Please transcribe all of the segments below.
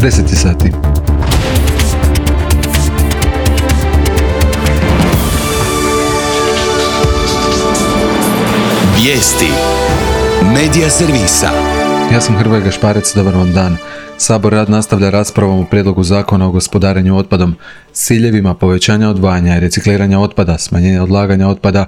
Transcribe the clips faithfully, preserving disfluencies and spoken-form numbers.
deset sati. Vijesti Medija servisa. Ja sam Hrvoje Gašparec, dobar vam dan. Sabor rad nastavlja raspravom o prijedlogu zakona o gospodarenju otpadom s ciljevima povećanja odvajanja i recikliranja otpada, smanjenja odlaganja otpada.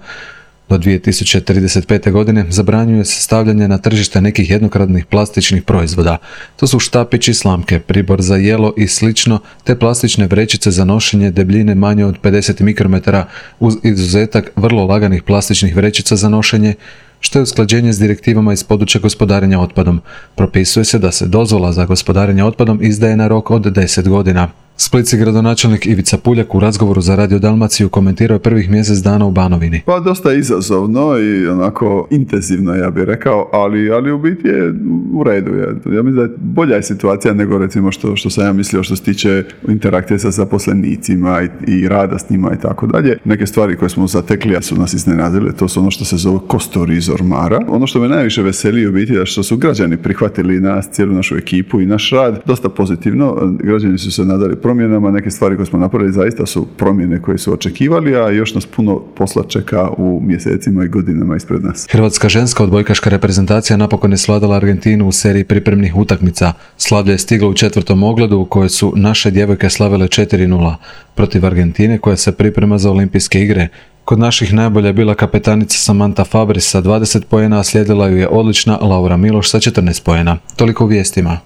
Do dvije tisuće trideset pete. godine zabranjuje se stavljanje na tržište nekih jednokratnih plastičnih proizvoda. To su štapići, slamke, pribor za jelo i slično, te plastične vrećice za nošenje debljine manje od pedeset mikrometara uz izuzetak vrlo laganih plastičnih vrećica za nošenje, što je usklađenje s direktivama iz područja gospodarenja otpadom. Propisuje se da se dozvola za gospodarenje otpadom izdaje na rok od deset godina. Splitski gradonačelnik Ivica Puljak u razgovoru za Radio Dalmaciju komentirao je prvih mjesec dana u Banovini. Pa dosta izazovno i onako intenzivno, ja bih rekao, ali, ali u biti je u redu. Ja, ja mislim da je bolja je situacija nego recimo što, što sam ja mislio što se tiče interakcije sa zaposlenicima i, i rada s njima i tako dalje. Neke stvari koje smo zatekli, a su nas iznenadile, to su ono što se zove kostur iz ormara. Ono što me najviše veseli u biti je što su građani prihvatili nas, cijelu našu ekipu i naš rad dosta pozitivno. Građani su se nadali promjenama, neke stvari koje smo napravili zaista su promjene koje su očekivali, a još nas puno posla čeka u mjesecima i godinama ispred nas. Hrvatska ženska odbojkaška reprezentacija napokon je svladala Argentinu u seriji pripremnih utakmica. Slavlje je stiglo u četvrtom ogledu u kojoj su naše djevojke slavile četiri nula protiv Argentine koja se priprema za olimpijske igre. Kod naših najbolja je bila kapetanica Samantha Fabris sa dvadeset poena, a slijedila ju je odlična Laura Miloš sa četrnaest poena. Toliko u vijestima.